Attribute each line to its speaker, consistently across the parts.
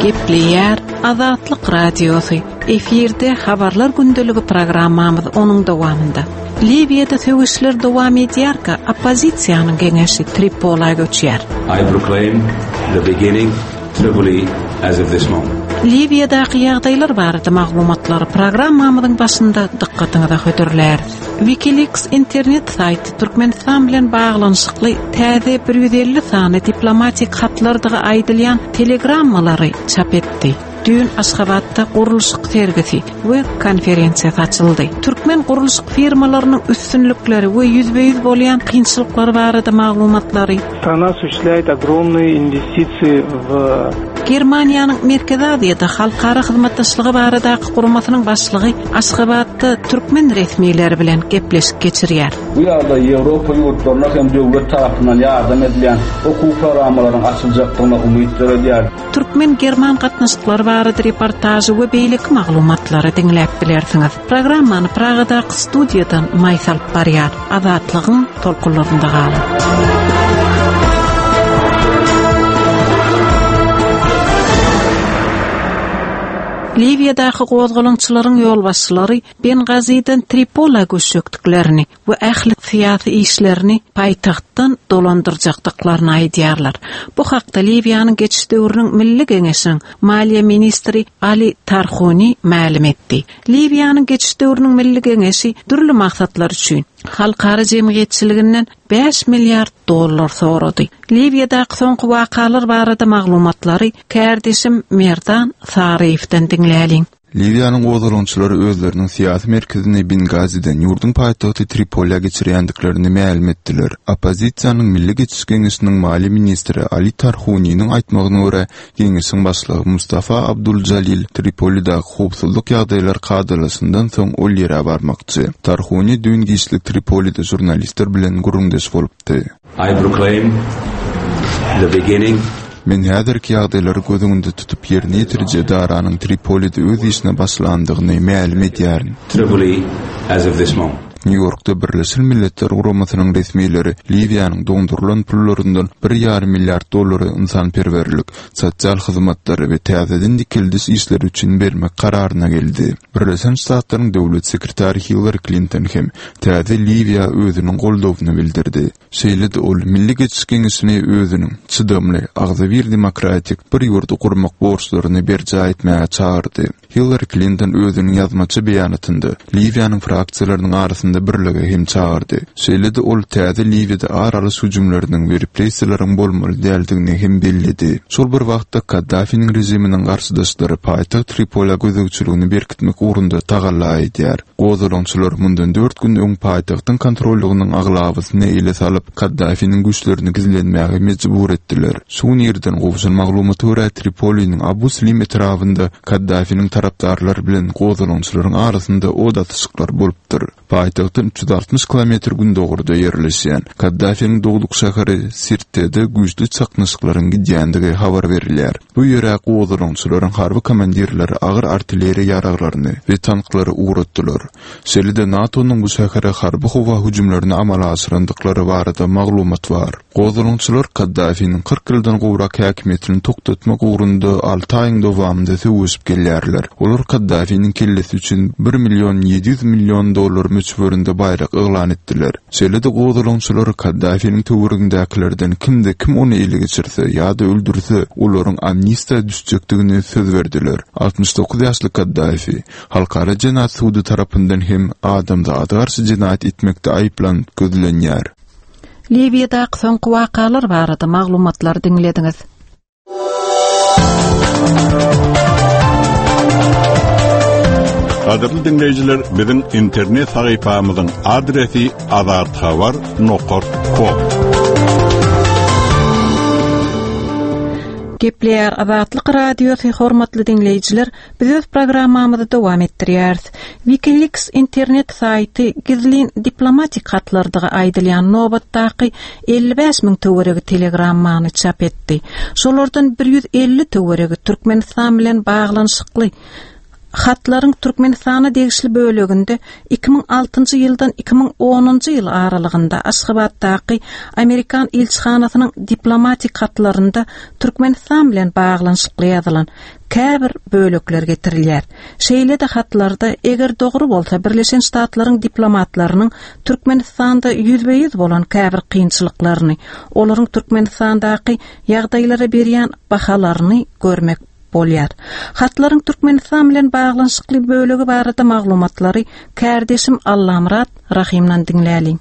Speaker 1: Gepleýär Azatlyk Radiosy. Efirde Habarlar gündeligi programmamyz onuň dowamynda. Liwiýada söweşler dowam edýärkä, oppozisiýanyň geňeşi Tripola göçýär.
Speaker 2: I proclaim the beginning Tripoli as of this moment.
Speaker 1: Liwiýadaky ýagdaýlar barada maglumatlary programmamyzyň başynda dykgatyňyza hödürläris. WikiLeaks internet saýty Türkmenistan bilen baglanyşykly täze 150 sany diplomatik hatlardygy aýdylýan telegrammalary çap etdi. Düýn Aşgabatda gurluşyk sergisi we konferensiýasy açyldy. Türkmen gurluşyk firmalarynyň üstünlikleri we ýüzbe-ýüz bolýan kynçylyklary barada maglumatlary.
Speaker 3: Strana osуществляет ogromные investisiýi w.
Speaker 1: Germaniýanyň Merkezi Aziýada halkara hyzmatdaşlygy baradaky guramasynyň başlygy Aşgabatda türkmen resmileri bilen gepleşik geçirýär.
Speaker 4: Bu ýagdaý Ýewropa ýurtlaryna hem döwlet tarapyndan ýardam edilýän okuw programmalaryň açyljakdygyna umyt döredýär.
Speaker 1: Türkmen-german gatnaşyklary barada reportažy we beýleki maglumatlary diňläp bilersiňiz. Programmany Pragadaky studiýadan Maýsa alyp barýar. Azatlygyň tolkunlarynda galyň. Liwiýadaky gozgalaňçylaryň ýolbaşçylary Bengaziden Tripola göçjekdiklerini we ähli syýasy işlerini paýtagtdan dolandyrjakdyklaryny aýdýarlar. Bu hakda Liwiýanyň geçiş döwrüniň Milli Geňeşiniň maliýe ministri Ali Tarhuni mälim etdi. Liwiýanyň geçiş döwrüniň Milli Geňeşi dürli maksatlar üçin halkara jemgyýetçiliginden bäş milliard dollar sorady. Liwiýadaky soňky wakalar barada maglumatlary kärdeşim Merdan Saryýewden diňläliň.
Speaker 5: Liwiýanyň gozgalaňçylary özleriniň syýasy merkezini Bengaziden ýurduň paýtagty Tripolä geçirýändiklerini mälim etdiler. Oppozisiýanyň Milli geçiş geňeşiniň maliýe ministri Ali Tarhuniniň aýtmagyna görä, geňeşiň başlygy Mustafa Abdul Jalil Tripolidäki howpsuzlyk ýagdaýlary kadalaşandan soň ol ýere barmakçy. Tarhuni düýn giçlik Tripolide žurnalistler bilen gürrüňdeş bolupdy.
Speaker 2: I proclaim the beginning.
Speaker 5: Men häzirki ýagdaýlary göz öňünde tutup ýerine ýetiriji edaranyň Tripolide öz işine başlandygyny mälim edýärin.
Speaker 2: Tripoli as of this moment.
Speaker 5: Nýu-Ýorkda Birleşen Milletler Guramasynyň resmileri Liwiýanyň doňdurylan pullaryndan bir ýarym milliard dollary ynsanperwerlik, sosial hyzmatlary we täzeden dikeldiş işleri üçin bermek kararyna geldi. Birleşen Ştatlaryň döwlet sekretary Hillari Klinton hem täze Liwiýa özüniň goldawyny bildirdi. Şeýle-de ol Milli Geçiş Geňeşini özüniň çydamly, agzybir demokratik bir ýurdy gurmak borçlaryny berjaý etmäge çagyrdy. Hillari Klinton özüniň ýazmaça beýanatynda Liwiýanyň fraksiýalarynyň arasynda birlige hem çagyrdy. Şeýle-de ol täze Liwiýada ar alyş hüjümleriniň we repressiýalaryň bolmaly däldigini hem belledi. Şol bir wagtda Kaddafiniň režiminiň garşydaşlary paýtagt Tripolä gözegçiligini berkitmek ugrunda tagalla edýär. Gozgalaňçylar mundan dört gün öň paýtagtyň kontrollygynyň aglabasyny ele salyp, Kaddafiniň güýçlerini gizlenmäge mejbur etdiler. Şu gün irden gowşan maglumata görä, Tripoliniň Abu Slim etrabynda Kaddafiniň tarapdarlary bilen gozgalaňçylaryň arasynda od atyşyklar bolupdyr. Paýtagtdan 360 kilometr gündogarda ýerleşýän Kaddafiniň dogduk şäheri Sirtede güýçli çaknyşyklaryň gidýändigi habar berilýär. Bu ýere gozgalaňçylaryň harby komandirleri agyr artilleriýa ýaraglaryny we tanklary ugratdylar. Şeýle-de NATO-nyň bu şähere harby-howa hüjümlerini amala aşyrandyklary barada maglumat bar. Gozgalaňçylar Kaddafiniň 40 ýyldan gowrak häkimiýetini togtatmak ugrunda alty aýyň dowamynda söweşip gelýärler. Olar Kaddafiniň kellesi üçin bir million 700 million dollar möçberinde baýrak yglan etdiler. Şeýle-de gozgalaňçylar Kaddafiniň töweregindäkilerden kimde-kim ony ele geçirse ýa-da öldürse, olaryň amnistiýa düşjekdigini söz berdiler. 69 ýaşly Kaddafi Halkara jenaýat sudy tarapyndan hem adamzada garşy jenaýat etmekde aýyplanyp gözlenýär.
Speaker 1: Liwiýadaky soňky wakalar barada maglumatlary diňlediňiz.
Speaker 6: Gadyrly diňleýjiler, biziň internet sahypamyzyň adresi azathabar nokat kom.
Speaker 1: Gepleýär Azatlyk Radiosy hormatly diňleýjiler, Biz öz programmamyzy dowam etdirýäris. WikiLeaks internet saýty gizlin diplomatik hatlardygy aýdylýan nobatdaky 55 müň töweregi telegrammany çap etdi. Şolardan 150 töweregi Türkmenistan bilen baglanyşykly. Hatlaryň Türkmenistana degişli böleginde 2006-njy ýyldan 2010-njy ýyl aralygynda Aşgabatdaky amerikan ilçihanasynyň diplomatik hatlarynda Türkmenistan bilen baglanyşykly ýazylan käbir bölekler getirilýär. Şeýle-de hatlarda, eger dogry bolsa, Birleşen Ştatlaryň diplomatlarynyň Türkmenistanda ýüzbe-ýüz bolan käbir kynçylyklaryny, olaryň Türkmenistandaky ýagdaýlara berýän bahalaryny görmek bolýar. Hatlaryň Türkmenistan bilen baglanyşykly bölegi barada maglumatlary kärdeşim Allamyrat Rahymdan diňläliň.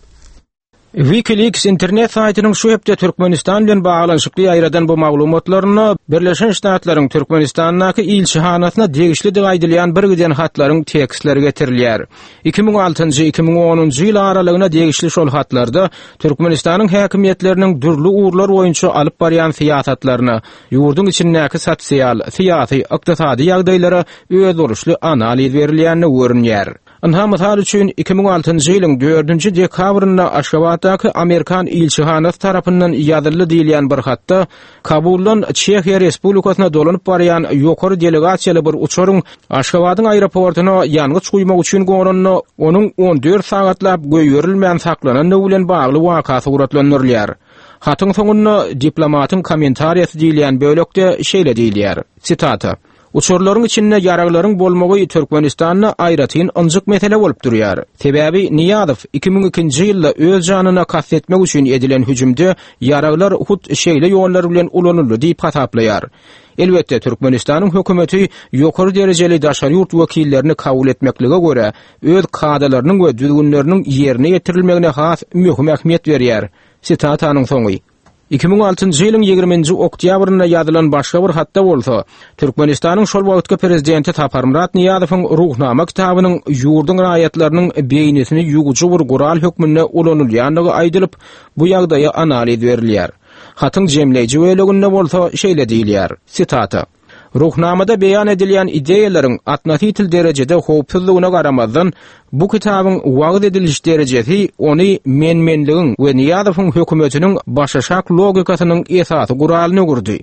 Speaker 7: WikiLeaks internet saýtynyň şu hepde Türkmenistan bilen baglanyşykly ýaýradan bu maglumatlarynda Birleşen Ştatlaryň Türkmenistandaky ilçihanasyna degişlidigi aýdylýan birgiden hatlaryň tekstleri getirilýär. 2006-njy, 2010-njy ýyl aralygyna degişli şol hatlarda Türkmenistanyň häkimiýetleriniň dürli ugurlar boýunça alyp barýan syýasatlaryna, ýurduň içindäki sosial, syýasy, ykdysady ýagdaýlara özboluşly analiz berilýändigi görünýär. Ynha, mysal üçin, 2006-njy ýylyň dördünji dekabrynda Aşgabatdaky amerikan ilçihanasy tarapyndan ýazyldy diýilýän bir hatda Kabuldan Çehiýa Respublikasyna dolanyp barýan ýokary delegasiýaly bir uçaryň Aşgabadyň aeroportuna ýangyç guýmak üçin gonanda, onuň 14 sagatlap goýberilmän saklanandygy bilen bagly waka suratlandyrylýar. Hatyň soňunda diplomatyň kommentariýasy diýilýän bölekde şeýle diýilýär, sitata, Uçarlaryň içinde ýaraglaryň bolmagy Türkmenistanda aýratyn ynjyk mesele bolup durýar. Sebäbi Nyýazow 2002-nji ýylda öz janyna kast etmek üçin edilen hüjümde ýaraglar hut şeýle ýollar bilen ulanyldy diýip hasaplaýar. Elbetde, Türkmenistanyň hökümeti ýokary derejeli daşary ýurt wekillerini kabul etmeklige görä, öz kadalarynyň we düzgünleriniň ýerine ýetirilmegine has möhüm ähmiýet berýär. Sitatanyň soňy. 2006-njy ýylyň 20-nji oktýabrynda ýazylan başga bir hatda bolsa, Türkmenistanyň şol wagtky prezidenti Saparmyrat Nyýazowyň Ruhnama kitabynyň ýurduň raýatlarynyň beýnisini ýuwujy bir gural hökmünde ulanylýandygy aýdylyp, bu ýagdaýa analiz berilýär. Hatyň jemleýji böleginde bolsa şeýle diýilýär, sitata, Ruhnamada beýan edilýän ideýalaryň otnositel derejede howpsuzdygyna garamazdan, bu kitabyň wagyz ediliş derejesi ony men-menligiň we Nyýazowyň hökümetiniň başaşak logikasynyň esasy guralyna öwürdi.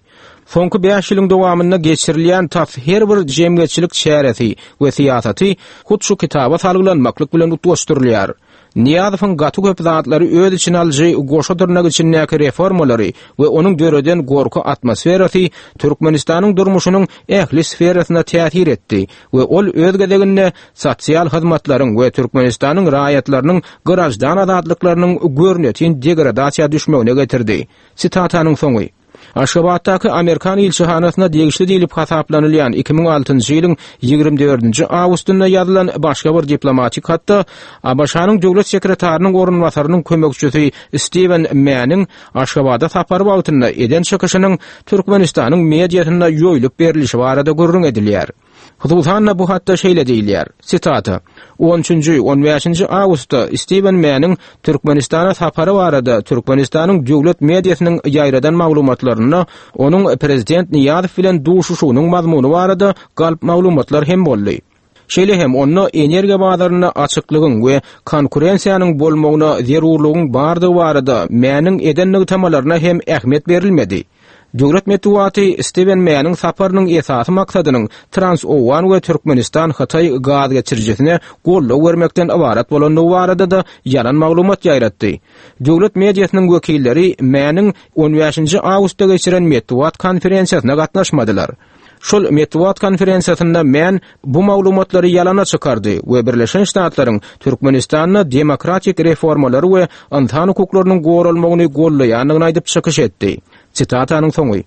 Speaker 7: Soňky bäş ýylyň dowamynda geçirilýän tas her bir jemgyýetçilik çäresi we syýasaty hut şu kitaba salgylanmaklyk bilen utgaşdyrylýar. Nyýazowyň gaty köp zatlary öz içine alyjy goşa dyrnak içindäki reformalary we onuň döreden gorky atmosferasy Türkmenistanyň durmuşynyň ähli sferasyna täsir etdi we ol öz gezeginde sosial hyzmatlaryň we Türkmenistanyň raýatlarynyň graždan azatlyklarynyň görnetin degradasiýa düşmegine getirdi. Sitatanyň soňy. Aşgabatdaky amerikan ilçihanasyna degişli diýlip hasaplanylýan 2006-njy ýylyň 24-nji awgustynda ýazylan başga bir diplomatik hatda ABŞ-nyň döwlet sekretarynyň orunbasarynyň kömekçisi Stiwen Mäniň Aşgabada sapary wagtynda eden çykyşynyň Türkmenistanyň mediasynda ýoýlup berlişi barada gürrüň edilýär. Hususan-da, bu hatda şeýle diýilýär, sitata, On üçünji, on bäşinji awgustda Stiwen Mäniň Türkmenistana sapary barada Türkmenistanyň döwlet mediasynyň ýaýradan maglumatlarynda onuň prezident Nyýazow bilen duşuşygynyň mazmuny barada galp maglumatlar hem boldy. Şeýle hem onda energiýa bazarynda açyklygyň we konkurensiýanyň bolmagyna zerurlygyň bardygy barada Mäniň eden nygtamalaryna hem ähmiýet berilmedi. Döwlet metbugaty Stiwen Mäniň saparynyň esasy maksadynyň Trans-Owgan we Türkmenistan-Hytaý gaz geçirijisine goldaw bermekden ybarat bolandygy barada-da ýalan maglumat ýaýratdy. Döwlet mediasynyň wekilleri Mäniň on bäşinji awgustda geçiren metbugat konferensiýasyna gatnaşmadylar. Şol metbugat konferensiýasynda Män bu maglumatlary ýalana çykardy we Birleşen Ştatlaryň Türkmenistanda demokratik reformalary we ynsan hukuklarynyň goralmagyny goldaýandygyny aýdyp çykyş etdi. Sitatanyň soňy.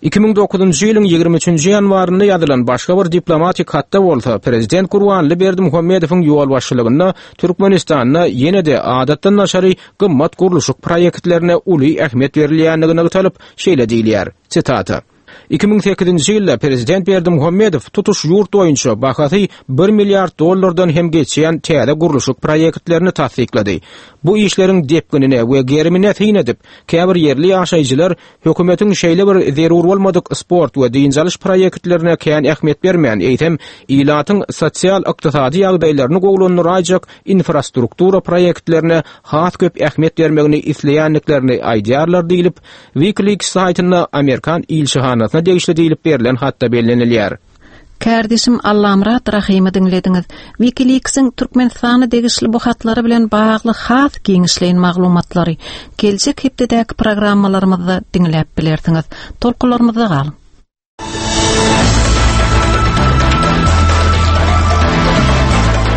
Speaker 7: 2009-njy ýylyň 23-nji ýanwarynda ýazylan başga bir diplomatik hatda bolsa, prezident Gurbanly Berdimuhamedowyň ýolbaşçylygynda Türkmenistanda ýene-de adatdan daşary gymmat gurluşyk proýektlerine uly ähmiýet berilýändigi nygtalyp, şeýle diýilýär, sitata. 2008-nji ýylda prezident Berdimuhamedow tutuş ýurt boýunça bahasy bir milliard dollardan hem geçýän täze gurluşyk proýektlerini tassyklady. Bu işleriň depginine we gerimine syn edip, käbir ýerli ýaşaýjylar hökümetiň şeýle bir zerur bolmadyk sport we dynç alyş proýektlerine kän ähmiýet bermän, eýsem, ilatyň sosial-ykdysady ýagdaýlaryny gowulandyraýjak infrastruktura proýektlerine has köp ähmiýet bermegini isleýändiklerini aýdýarlar diýlip, WikiLeaks saýtynda amerikan ilçihanasyna degişli diýlip berlen hatda bellenilýär.
Speaker 1: Kärdeşim Allamyrat Rahymy diňlediňiz. Wikileaks-iň Türkmenistana degişli bu hatlary bilen bagly has giňişleýin maglumatlary geljek hepdedäki programmalarymyzda diňläp bilersiňiz. Tolkunlarymyzda galyň!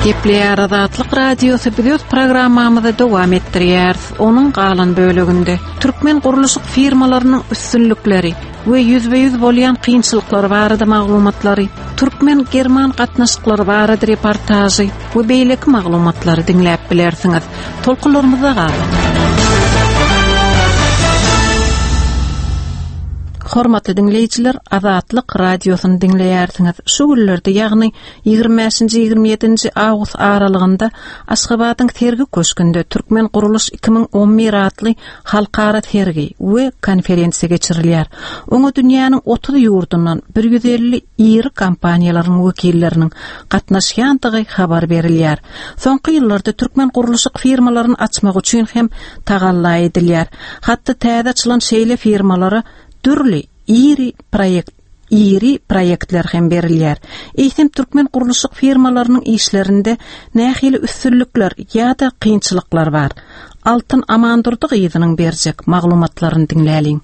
Speaker 1: Gepleýär Azatlyk Radiosy biz öz programmamyzy dowam etdirýäris. Onuň galan böleginde türkmen gurluşyk firmalarynyň üstünlikleri we ýüzbe-ýüz bolýan kynçylyklary barada maglumatlary, türkmen-german gatnaşyklary barada reportažy we beýleki maglumatlary diňläp bilersiňiz. Tolkunlarymyzda galyň! Hormatly diňleýjiler, Azatlyk Radiosyny diňleýärsiňiz. Şu günlerde, ýagny 25-nji 27-nji awgust aralygynda Aşgabadyň Sergi köşgünde Türkmen gurluş 2011 atly halkara sergi we konferensiýa geçirilýär. Oňa dünýäniň 30 ýurdundan 150 iri kompaniýalaryň wekilleriniň gatnaşýandygy habar berilýär. Soňky ýyllarda türkmen gurluşyk firmalaryny açmak üçin hem tagalla edilýär. Hatda täze açylan şeýle firmalara dürli iri proýekt iri proýektler hem berilýär. Eýsem türkmen gurluşyk firmalarynyň işlerinde nähili üstünlikler ýa-da kynçylyklar bar? Altyn Amandurdy gyzynyň berjek maglumatlaryny diňläliň.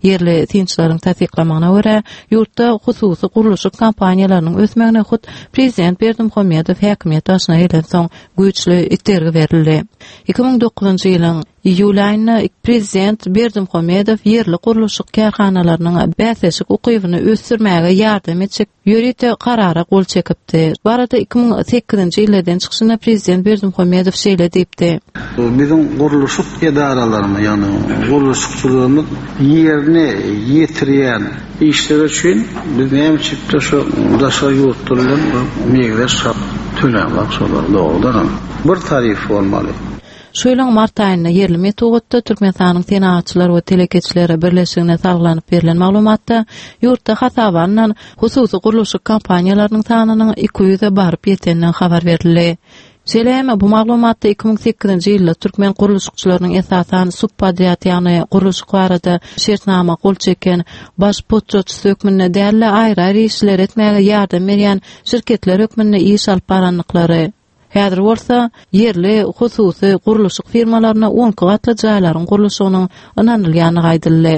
Speaker 8: Ýerli synçylaryň tassyklamagyna görä, ýurtda hususy gurluşyk kompaniýalarynyň ösmegine hut prezident Berdimuhamedow häkimiýet başyna gelensoň güýçli itergi berildi. 2009-njy ýylyň iýul aýynda prezident Berdimuhamedow ýerli gurluşyk kärhanalarynyň bäsleşik ukybyny ösdürmäge ýardam etjek ýörite karara gol çekipdi. Bu barada 2008-nji ýylda eden çykyşynda prezident Berdimuhamedow şeýle diýipdi.
Speaker 9: Biziň gurluşyk edaralarymyz, ýagny gurluşykçylarymyz ýerine ýetirýän işleri üçin biz näme üçindir şu daşary ýurtlar bilen meňzeş hak tölämok şolara dogrudanam. Bir tarif bolmaly.
Speaker 8: Şu ýylyň mart aýynda ýerli metbugatda Türkmenistanyň Senagatçylar we telekeçiler birleşigine salgylanyp berlen maglumatda ýurtda hasaba alnan hususy gurluşyk kompaniýalarynyň sanynyň 200-e baryp ýetendigi habar berildi. Şeýle hem bu maglumatda 2008-nji ýylda türkmen gurluşykçylarynyň esasan subpodrýad, ýagny gurluşyk barada şertnama gol çeken baş potratçysy hökmünde däl-de, aýry-aýry işleri etmäge ýardam berýän şirketler hökmünde iş alyp barandyklary, Häzir bolsa, ýerli hususy gurluşyk firmalaryna on iki gatly jaýlaryň gurluşygynyň ynanylýandygy aýdyldy.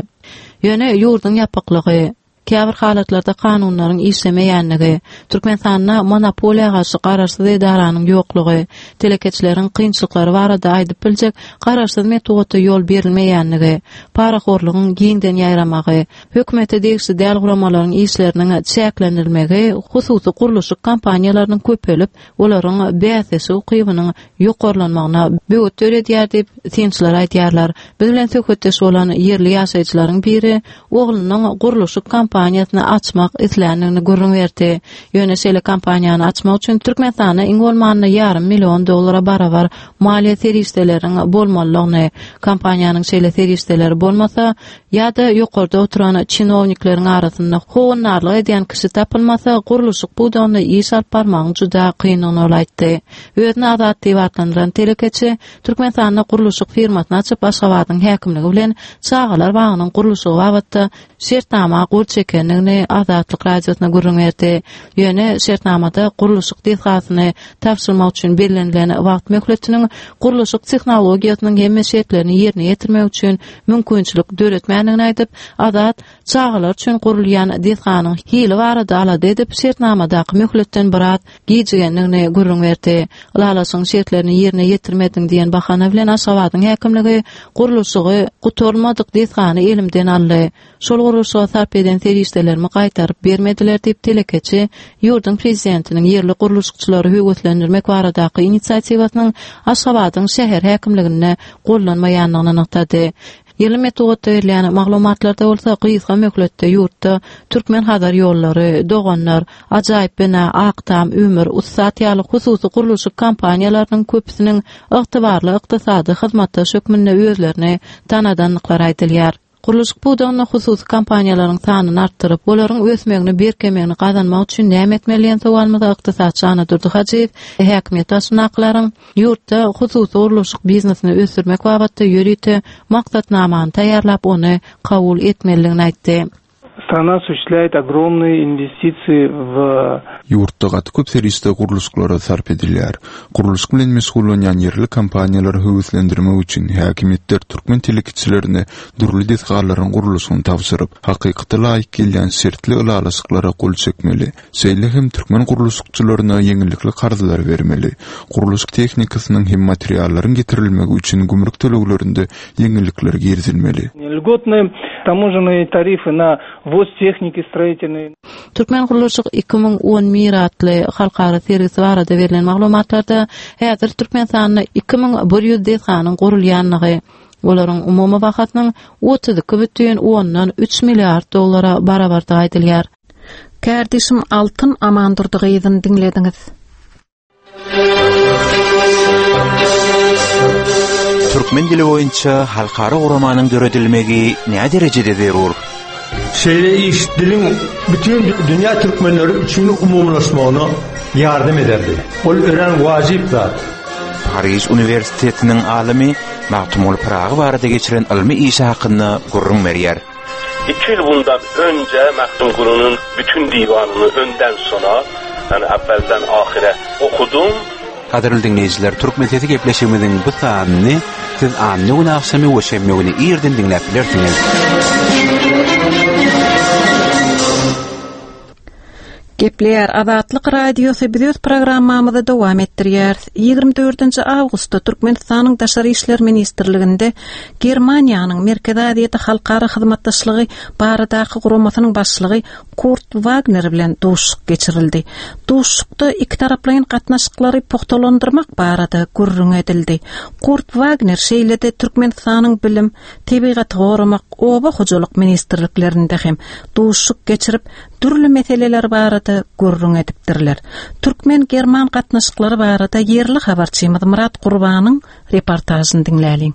Speaker 8: Ýöne ýurduň ýapyklygy, käbir halatlarda kanunlaryň işlemeýänligi, Türkmenistanda monopoliýa garşy garaşsyz edaranyň ýoklugy, telekeçileriň kynçylyklary barada aýdyp biljek garaşsyz metbugata ýol berilmeýänligi, parahorlugyň giňden ýaýramagy, hökümete degişli däl guramalaryň işleriniň çäklendirilmegi hususy gurluşyk kompaniýalarynyň köpelip, olaryň bäsleşik ukybynyň ýokarlanmagyna böwet döredýär diýip, synçylar aýdýarlar. Biz bilen söhbetdeş bolan ýerli ýaşaýjylaryň biri oglunyň gurluşyk kompaniýasyny açmak isländigini gürrüň berdi. Ýöne şeýle kompaniýany açmak üçin Türkmenistanda iň bolmanda ýarym million dollara barabar maliýe serişdeleriň bolmalydygyny, kompaniýanyň şeýle serişdeleri bolmasa, ýa-da ýokarda oturan çinownikleriň arasynda howandarlyk edýän kişi tapylmasa, gurluşyk pudagynda iş alyp barmagyň juda kyndygyny ol aýtdy. Özüni Azat diýip atlandyran telekeçi Türkmenistanda gurluşyk firmasyny açyp, Aşgabadyň häkimligi bilen çagalar bagynyň gurluşygy babatda şertnama gol çekendigini Azatlyk Radiosyna gürrüň berdi. Ýöne şertnamada gurluşyk desgasyny tabşyrmak üçin bellenilen wagt möhletiniň gurluşyk tehnologiýasynyň hemme şertlerini ýerine ýetirmek üçin mümkinçilik döretmändigini aýdyp, Azat çagalar üçin gurulýan desganyň hili barada alada edip, şertnamadaky möhletden biraz gijigendigini gürrüň berdi. Ylalaşygyň şertlerini ýerine ýetirmediň diýen bahana bilen Aşgabadyň häkimligi gurluşygy gutarylmadyk desgany elimden aldy. Şol gurluşyga sarp eden serişdelerimi gaýtaryp bermediler diýip, telekeçi ýurduň prezidentiniň ýerli gurluşykçylary höweslendirmek baradaky inisiatiwasynyň Aşgabadyň şäher häkimliginde gollanmaýandygyny nygtady. Ýerli metbugatda berilýän maglumatlarda bolsa gysga möhletde ýurtda Türkmen-Hazar ýollary, Doganlar, Ajaýyp bina, Ak tam, Ümür, Ussat ýaly hususy gurluşyk kompaniýalarynyň köpüsiniň ygtybarly ykdysady hyzmatdaş hökmünde özlerini tanadandyklary aýdylýar. Gurluşyk pudagynda hususy kompaniýalaryň sanyny artdyryp, olaryň ösmegini, berkemegini gazanmak üçin näme etmeli diýen sowalymyza ykdysatçy Annadurdy Hajyýew häkimiýet başyndakylaryň ýurtda hususy gurluşyk biznesini ösdürmek babatda ýörite maksatnamany taýýarlap, ony kabul etmelidigini aýtdy.
Speaker 3: Страна осуществляет ogromные investisiýa w
Speaker 5: Ýurtda gaty köp serişde gurluşyklara sarp edilýär. Gurluşyk bilen meşgullanýan ýerli kompaniýalary höweslendirmek üçin häkimiýetler türkmen telekeçilerine dürli desgalaryň gurluşygyny tabşyryp, hakykata laýyk gelýän şertli ylalaşyklara gol çekmeli. Şeýle hem türkmen gurluşykçylaryna ýeňillikli karzlary bermeli. Gurluşyk tehnikasynyň hem materiallaryň getirilmegi üçin gümrük töleglerinde ýeňillikler girizilmeli.
Speaker 3: Lgotnyý tamožennyý tarify na wwoz tehniki stroitelnyý.
Speaker 8: Türkmen gurluşyk 2011 atly halkara sergisi barada berlen maglumatlarda häzir Türkmenistanda 2100 desganyň gurulýandygy, olaryň umumy bahasynyň 32 bütin ondan üç milliard dollara barabardygy aýdylýar.
Speaker 1: Kärdeşim Altyn Amandurdy gyzyny diňlediňiz.
Speaker 10: Türkmen dili boýunça halkara guramanyň döredilmegi näderejede zerur?
Speaker 11: Şeýle iş diliň bütin dünýä türkmenleri üçin umumylaşmagyna ýardam ederdi. Ol örän wajyp zat.
Speaker 10: Pariž uniwersitetiniň alymy Magtymguly Pyragy barada geçiren ylmy işi hakynda gürrüň berýär.
Speaker 12: Iki ýyl bundan önce Magtymgulynyň bütün diwanyny önden sona, ýagny äwwelden ahyra okudum.
Speaker 10: Gadyrly diňleýjiler, Türkmen sesi gepleşigimiziň bu sanyny siz anna güni agşamy we şenbe güni irden diňläp bilersiňiz.
Speaker 1: Gepleýär Azatlyk Radiosy biz öz programmamyzy dowam etdirýäris. 24-nji awgustda Türkmenistanyň Daşary işler ministrliginde Germaniýanyň Merkezi Aziýada halkara hyzmatdaşlygy baradaky guramasynyň başlygy Kurt Wagner bilen duşuşyk geçirildi. Duşuşykda ikitaraplaýyn gatnaşyklary pugtalandyrmak barada gürrüň edildi. Kurt Wagner şeýle-de Türkmenistanyň Bilim, Tebigaty goramak, Oba hojalyk ministrliklerinde hem duşuşyk geçirip, dürli meseleler barada gürrüň edipdirler. Türkmen-german gatnaşyklary barada ýerli habarçymyz Myrat Gurbanyň reportažyny diňläliň.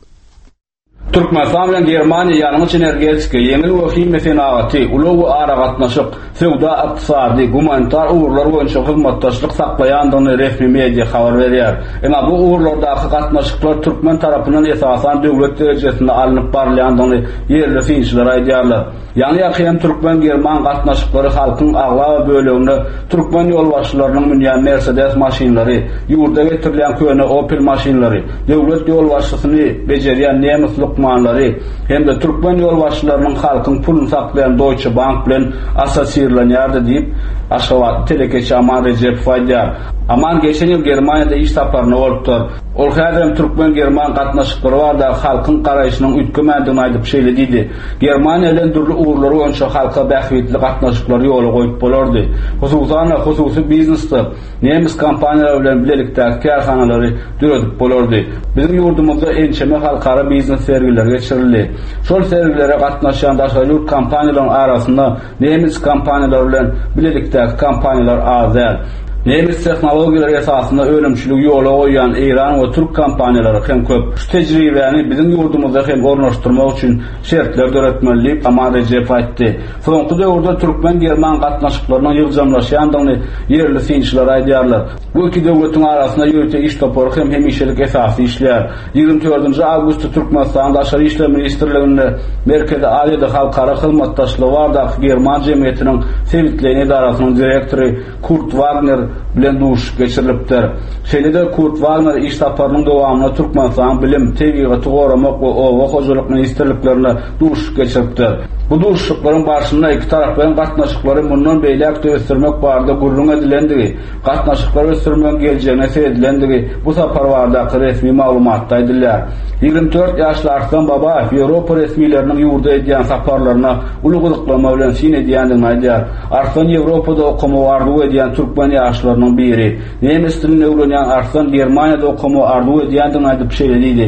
Speaker 4: Türkmenistan bilen Germaniýa ýangyç-energetika, ýeňil we himiýa senagaty, ulag we aragatnaşyk, söwda-ykdysady, gumanitar ugurlar boýunça hyzmatdaşlyk saklaýandygyny resmi media habar berýär. Emma bu ugurlardaky gatnaşyklar türkmen tarapyndan esasan döwlet derejesinde alnyp barylýandygyny ýerli synçylar aýdýarlar. Ýaňy-ýakyn türkmen-german gatnaşyklary halkyň aglaba bölegine türkmen ýolbaşçylarynyň münýän Mersedes maşynlary, ýurda getirilýän köne Opel maşynlary, döwlet ýolbaşçysyny bejerýän nemes lukmanlary hem-de türkmen ýolbaşçylarynyň halkyň puluny saklaýan Deutsche Bank bilen assosirlenýärdi diýip, aşgabatly telekeçi Aman Rejepow aýdýar. Aman geçen ýyl Germaniýada iş saparynda bolupdyr. Ol häzirem türkmen-german gatnaşyklary baradaky halkyň garaýşynyň üýtgemändigini aýdyp şeýle diýdi, Germaniýa bilen dürli ugurlar boýunça halka bähbitli gatnaşyklary ýola goýup bolardy. Hususan-da, hususy biznesde nemes kompaniýalary bilen bilelikdäki kärhanalary döredip bolardy. Biziň ýurdumyzda ençeme halkara biznes sergileri geçirildi. Şol sergilere gatnaşýan daşary ýurt kompaniýalaryň arasynda Nemes kompaniýalary bilen bilelikdäki kompaniýalar az däl. Nemes tehnologiýalary esasynda önümçiligi ýola goýýan eýran we türk kompaniýalary hem köp. Şu tejribäni biziň ýurdumyzda hem ornaşdyrmak üçin şertler döretmeli diýip, Aman Rejepow aýtdy. Soňky döwürde türkmen-german gatnaşyklarynyň ýygjamlaşýandygyny ýerli synçylar aýdýarlar. Bu iki döwletiň arasynda ýörite iş topary hem hemişelik esasda işleýär. Ýigrimi dördünji awgustda Türkmenistanyň Daşary işler ministrliginde Merkezi Aziýada halkara hyzmatdaşlygy baradaky german jemgyýetiniň sebitleýin edarasynyň direktory Kurt Wagner bilen duşuşyk geçirilipdir. Şeýle-de Kurt Wagner iş saparynyň dowamynda Türkmenistanyň Bilim, Tebigaty goramak we Oba hojalyk ministrliklerinde duşuşyk geçiripdir. Bu duşuşyklaryň barşynda ikitaraplaýyn gatnaşyklary mundan beýläk-de ösdürmek barada gürrüň edilendigi, gatnaşyklary ösdürmegiň geljegine seredilendigi bu sapar baradaky resmi maglumatda aýdylýar. 24 ýaşly Arslan Babaýew Ýewropa resmileriniň ýurda edýän saparlaryna uly gyzyklanma bilen syn edýändigini aýdýar. Arslan Ýewropada okamagy arzuw edýän türkmen ýaşlarynyň biri. Nemes dilini öwrenýän Arslan Germaniýada okamagy arzuw edýändigini aýdyp şeýle diýdi,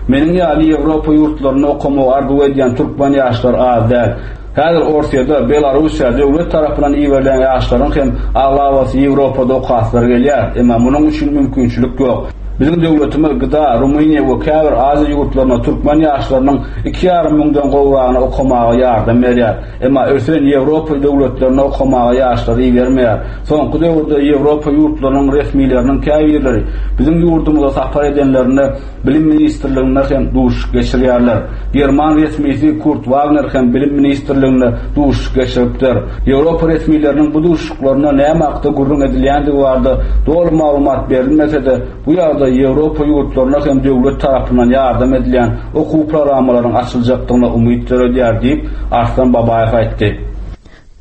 Speaker 4: Meniň ýaly Ýewropa ýurtlarynda okamagy arzuw edýän türkmen ýaşlary az däl. Häzir Orsýede, Belarussiýa döwlet tarapyndan iberilýän ýaşlaryň hem aglabasy Ýewropada okaslary gelýär, emma munuň üçin mümkinçilik ýok. Biziň döwletimiz GDA, Rumyniýa we käbir Aziýa ýurtlaryna türkmen ýaşlarynyň iki ýarym müňden gowragyna okamaga ýardam berýär. Emma ösen Ýewropa döwletlerine okamaga ýaşlary ibermeýär. Soňky döwürde Ýewropa ýurtlarynyň resmileriniň käbirleri biziň ýurdumyza sapar edenlerinde Bilim ministrliginde hem duşuşyk geçirýärler. German resmisi Kurt Wagner hem Bilim ministrliginde duşuşyk geçiripdir. Ýewropa resmileriniň bu duşuşyklarynda näme hakda gürrüň edilýändigi barada doly maglumat berilmese-de, bu ýagdaý Ýewropa ýurtlaryna hem döwlet tarapyndan ýardam edilýän okuw programmalaryň açyljakdygyna umyt döredýär diýip, Arslan Babaýew aýtdy.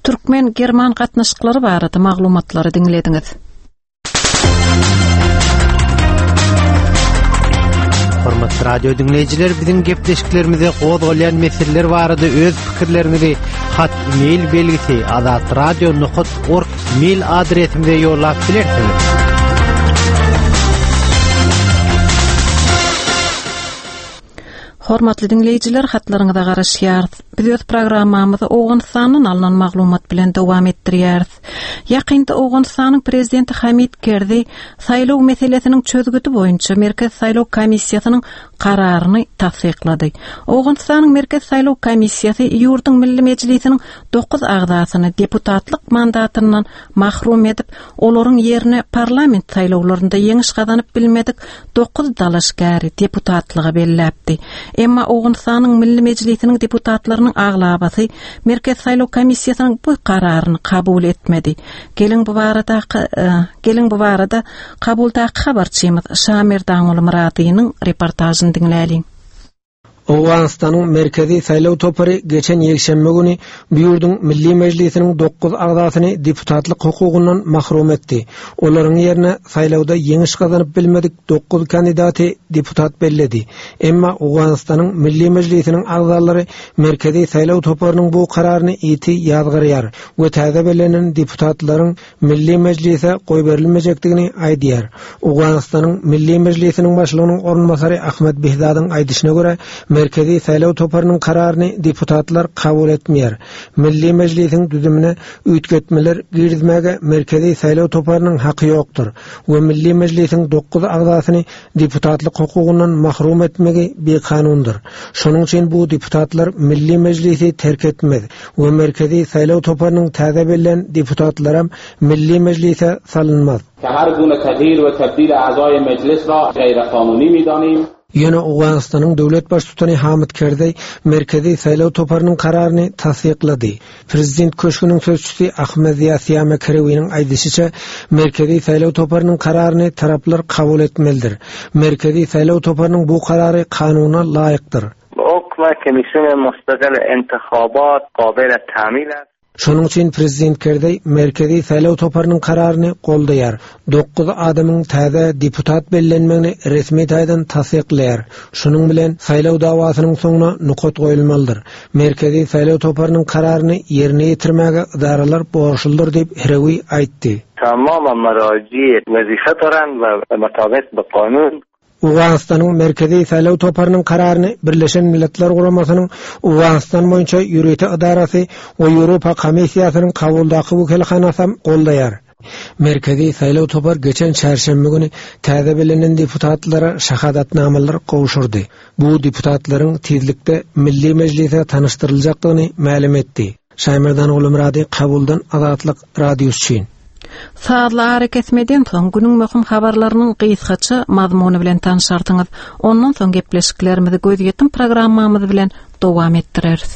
Speaker 1: Türkmen-german gatnaşyklary barada maglumatlary diňlediňiz.
Speaker 13: Hormatly radio diňleýjiler, biziň gepleşiklerimize gozgalýan meseleler barada öz pikirleriňizi hat mail belgisi azatradio.org mail adresimize ýollap bilersiňiz.
Speaker 1: Hormatly diňleýjiler, hatlaryňyza garaşýarys. Biz öz programmamyzy Owganystandan alnan maglumat bilen dowam etdirýäris. Ýakynda Owganystanyň prezidenti Hamid Kerzi saýlaw meselesiniň çözgüdi boýunça Merkezi saýlaw komissiýasynyň kararyny tassyklady. Owganystanyň Merkezi saýlaw komissiýasy ýurduň Milli Mejlisiniň dokuz agzasyny deputatlyk mandatyndan mahrum edip, olaryň ýerine parlament saýlawlarynda ýeňiş gazanyp bilmedik dokuz dalaşgäri deputatlyga belläpdi. Emma Owganystanyň Milli Mejlisiniň deputatlarynyň aglabasy Merkezi saýlaw komissiýasynyň bu kararyny kabul etmedi. Geliň bu baradaky e, geliň bu barada Kabuldaky habarçymyz Şamerdanguly Myradynyň reportažyny diňläliň.
Speaker 14: Owganystanyň Merkezi saýlaw topary geçen ýekşenbe güni bu ýurduň Milli Mejlisiniň dokuz agzasyny deputatlyk hukugyndan mahrum etdi. Olaryň ýerine saýlawda ýeňiş gazanyp bilmedik dokuz kandidaty deputat belledi. Emma Owganystanyň Milli Mejlisiniň agzalary Merkezi saýlaw toparynyň bu kararyny ýiti ýazgarýar we täze bellenen deputatlaryň Milli Mejlise goýberilmejekdigini aýdýar. Owganystanyň Milli Mejlisiniň başlygynyň orunbasary Ahmed Behzadyň aýdyşyna görä, Merkezi saýlaw toparynyň kararyny deputatlar kabul etmeýär. Milli Mejlisiň düzümine üýtgetmeler girizmäge Merkezi saýlaw toparynyň haky ýokdur we Milli Mejlisiň dokuz agzasyny deputatlyk hukugyndan mahrum etmegi bikanundyr. Şonuň üçin bu deputatlar Milli Mejlisi terk etmez we Merkezi saýlaw toparynyň täze bellän deputatlaram Milli Mejlise salynmaz.
Speaker 15: که هر گونه تغییر و تبدیل اعضای مجلس را غیرقانونی میدانیم.
Speaker 14: Ýöne Owganystanyň döwlet baştutany Hamid Kerzeý Merkezi saýlaw toparynyň kararyny tassyklady. Prezident köşgüniň sözçüsi Ahmed Ziýa Siýame Kerewiniň aýdyşyça, Merkezi saýlaw toparynyň kararyny taraplar kabul etmelidir. Merkezi saýlaw toparynyň bu karary kanuna laýykdyr.
Speaker 16: حکم کمیسیون مستقل انتخابات قابل تعمیل است.
Speaker 14: Şonuň üçin prezident Kerzeý Merkezi saýlaw toparynyň kararyny goldaýar. Dokuz adamyň täze deputat bellenmegini resmi taýdan tassyklaýar. Şunuň bilen saýlaw dawasynyň soňuna nokat goýulmalydyr. Merkezi saýlaw toparynyň kararyny ýerine ýetirmäge edaralar borçludyr diýip, Herewi aýtdy.
Speaker 16: تمام مراجع وظیفه دارند و مطابق به قانون
Speaker 14: Owganystanyň Merkezi saýlaw toparynyň kararyny Birleşen Milletler Guramasynyň Owganystan boýunça ýörite edarasy we Ýewropa Komissiýasynyň Kabuldaky wekilhanasam goldaýar. Merkezi saýlaw topar geçen çarşenbe güni täze bellenen deputatlara şahadatnamalar gowşurdy. Bu deputatlaryň tizlikde Milli Mejlise tanyşdyryljakdygyny mälim etdi. Şaýmerdan Gulumyrady Kabuldan Azatlyk Radiosy üçin.
Speaker 1: Sazly arakesmeden soň günüň möhüm habarlarynyň gysgaça mazmuny bilen tanşarsyňyz. Ondan soň gepleşiklerimizi gözýetim programmamyz bilen dowam etdireris.